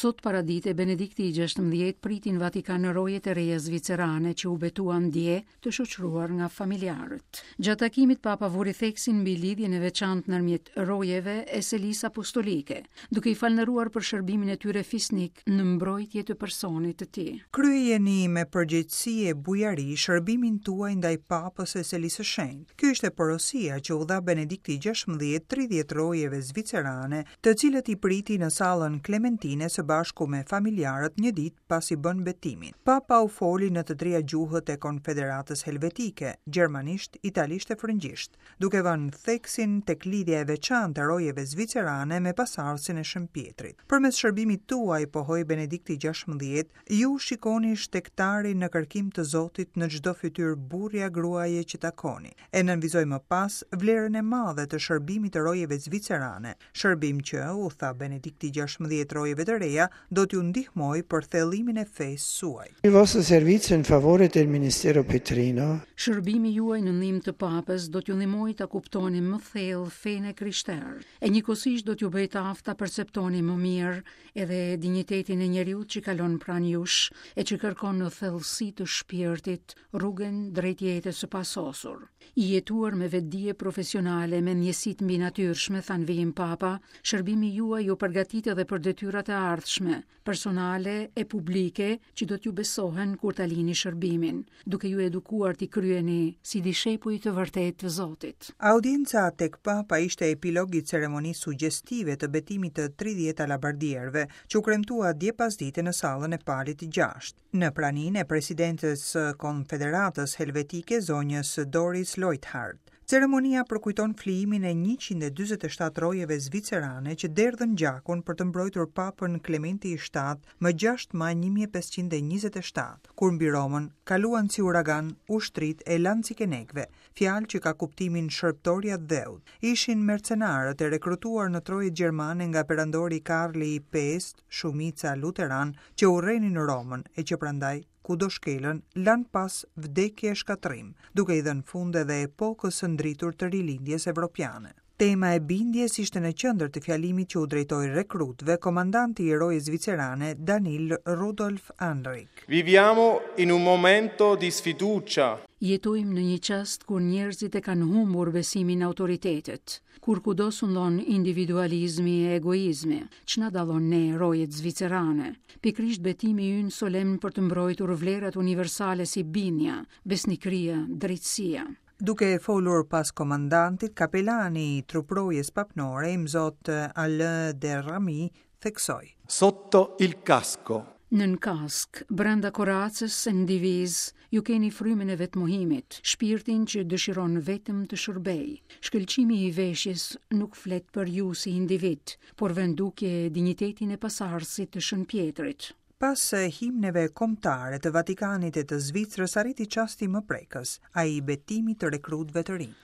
Sot paradite, Benedikti i 16 priti në Vatikan rojet e reja zvicerane që u betuan dje të shoqëruar nga familjarët. Gjatë takimit Papa vuri theksin mbi lidhjen e veçantë ndërmjet rojeve e Selisë Apostolike, duke i falënderuar për shërbimin e tyre fisnik në mbrojtje të personit të tij. Kryejeni me përgjegjësi e bujari shërbimin tuaj ndaj Papës e Selisë së Shenjtë. Kjo ishte porosia që u dha Benedikti i 16 30 rojeve zvicerane të cilët i priti në sallën Klementine së bashku me familjarët një ditë pasi bënë betimin. Papa u foli në të tria gjuhët e Konfederatës Helvetike, gjermanisht, italisht e frëngjisht, duke vënë theksin tek lidhja e veçantë e rojeve zvicerane me pasardhësin e Shën Pjetrit. Përmes shërbimit tuaj, pohoi Benedikti 16, Ju shikoni shtegtarin në kërkim të Zotit në çdo fytyrë burri a gruaje që takoni. E nënvizoi më pas vlerën e madhe të shërbimit të rojeve zvicerane, shërbim që, u tha Benedikti 16 rojeve të reja, do t'ju ndihmojë për thellimin e fesë suaj. Il vostro servizio in favore del ministero petrino. Shërbimi juaj në ndihmë të Papës do t'ju ndihmojë ta kuptoni më thellë fenë e krishterë, e njëkohësisht do t'ju bëjë të aftë ta perceptoni më mirë edhe dinjitetin e njeriut që kalon pranë jush e që kërkon në thellësi të shpirtit rrugën drejt jetës së pasosur. I jetuar me vetëdije profesionale me ndjesitë mbinatyrshme, tha në vijim Papa, shërbimi juaj ju përgatit edhe për detyrat e ardhshme, personale e publike që do t'ju besohen kur ta lini shërbimin, duke ju edukuar t'i kryeni si dishepuj të vërtetë të Zotit. Audienca tek Papa ishte epilog i ceremonisë sugjestive të betimit të 30 alabardierëve, që u kremtua dje pasdite në sallën e Palit 6, në praninë e presidentes së Konfederatës Helvetike, zonjës Doris Leuthard. Ceremonia përkujton flijimin e 147 rojeve zvicerane që derdhën gjakun për të mbrojtur Papën Klementi i VII më 6 maj 1527, kur mbi Romën kaluan si uragan ushtritë e lancikenekëve, fjalë që ka kuptimin shërbëtor i atdheut. Ishin mercenarët e rekrutuar në trojet gjermane nga perandori Karli i V, shumica luteranë, që urrenin Romën e që prandaj kudo shkelën, lanë pas vdekje e shkatërrim, duke i dhënë fund edhe epokës së ndritur të rilindjes evropiane. Tema e bindjes ishte në qendër të fjalimit që u drejtoi rekrutëve komandanti i rojes zvicerane Daniel Rudolf Anrig. Viviamo in un momento di sfiducia. Jetojmë në një çast kur njerëzit e kanë humbur besimin në autoritetet, kur kudo sundon individualizmi e egoizmi, ç'na dallon ne rojet zvicerane, Pikërisht betimi ynë solemn për të mbrojtur vlerat universale si bindja, besnikëria, drejtësia. Duke folur pas komandantit, kapelani i truprojes papnore, imzot Alain de Raemy, theksoi. Sotto il casco. Nën kaskë, brenda koracës e në divizë, ju keni frymën e vetëmohimit, shpirtin që dëshiron vetëm të shërbejë. Shkëlqimi i veshjes nuk flet për ju si individ, por vë në dukje dinjitetin e pasardhësit të Shën Pjetrit. Pas himneve kombëtare të Vatikanit e të Zvicrës arriti çasti më prekës, ai i betimit të rekrutëve të rinj.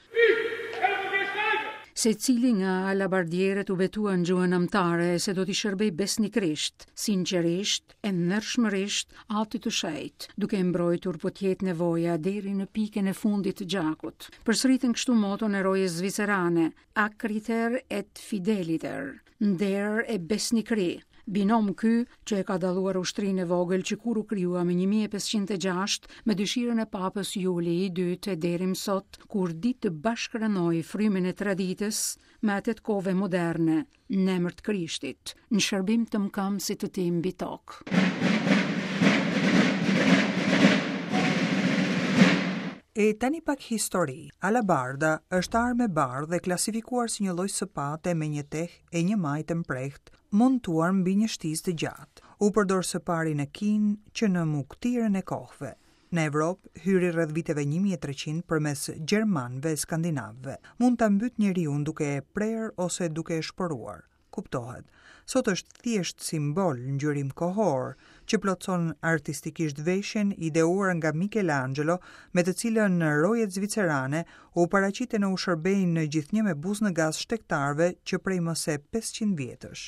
Secili nga alabardierët u betua në gjuhën amtare se do t'i shërbejë besnikërisht, sinqerisht e ndershmërisht Atit të Shenjtë, duke e mbrojtur po të jetë nevoja deri në pikën e fundit të gjakut. Përsëritën kështu moton e rojes zvicerane, Acriter et fideliter, nder e besnikëri, binom ky që e ka dalluar ushtrinë e vogël që kur u krijua më 1506 me dëshirën e Papës Juli i II e deri më sot, kur di të bashkërendojë frymën e traditës me atë të kohëve moderne, në emër të Krishtit, në shërbim të mëkëmbësit të tij mbi tokë. E tani pak histori. Alabarda është armë e bardhë e klasifikuar si një lloj sëpate me një teh e një majë të mprehtë, montuar mbi një shtizë të gjatë. U përdor së pari në Kinë që në mugëtirën e kohëve. Në Evropë hyri rreth viteve 1300 përmes gjermanëve e skandinavëve. Mund ta mbytë njeriun duke e prerë ose duke e shporuar. Kuptohet. Sot është thjesht simbol, ngjyrim kohor, që plotëson artistikisht veshjen ideuar nga Michelangelo, me të cilën rojet zvicerane u paraqiten e u shërbejnë gjithnjë me buzë në gaz shtegtarëve që prej më se 500 vjetësh.